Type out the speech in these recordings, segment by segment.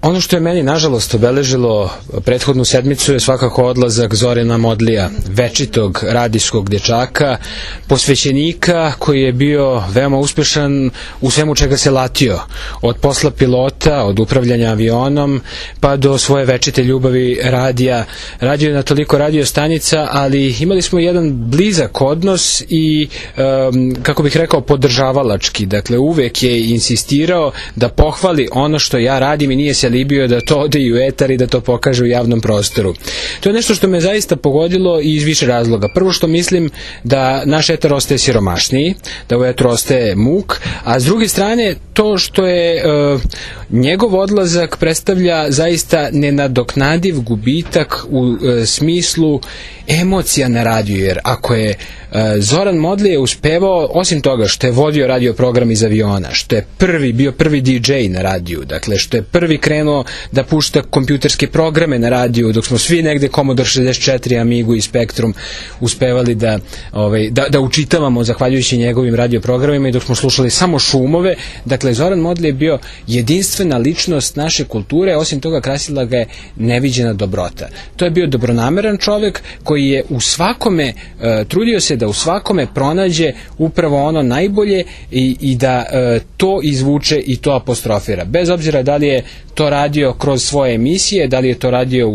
Ono što je meni, nažalost, obeležilo prethodnu sedmicu je svakako odlazak Zorana Modlija, večitog radijskog dječaka, posvećenika koji je bio veoma uspešan u svemu čega se latio. Od posla pilota, od upravljanja avionom, pa do svoje večite ljubavi radija. Radio je na toliko radio stanica, ali imali smo jedan blizak odnos i, kako bih rekao, podržavalački. Dakle, uvek je insistirao da pohvali ono što ja radim i nije se libio da to ode i u etar i da to pokaže u javnom prostoru. To je nešto što me zaista pogodilo i iz više razloga. Prvo što mislim da naš etar ostaje siromašniji, da u etru ostaje muk, a s druge strane to što je njegov odlazak predstavlja zaista nenadoknadiv gubitak u smislu emocija na radiju, jer ako je Zoran Modlije uspevao, osim toga što je vodio radio program iz aviona, što je bio prvi DJ na radiju, dakle što je prvi krenuo da pušta kompjuterske programe na radiju, dok smo svi negde Commodore 64, Amigu i Spectrum uspevali da učitavamo zahvaljujući njegovim radio programima i dok smo slušali samo šumove. Dakle, Zoran Modlije je bio jedinstvena ličnost naše kulture, osim toga krasila ga je neviđena dobrota. To je bio dobronameran čovek koji je u svakome trudio se da u svakome pronađe upravo ono najbolje i da to izvuče i to apostrofira. Bez obzira da li je to radio kroz svoje emisije, da li je to radio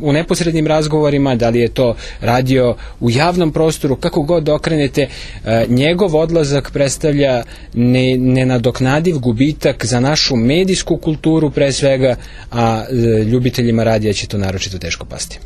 u neposrednim razgovorima, da li je to radio u javnom prostoru, kako god okrenete, njegov odlazak predstavlja nenadoknadiv gubitak za našu medijsku kulturu pre svega, a ljubiteljima radija će to naročito teško pasti.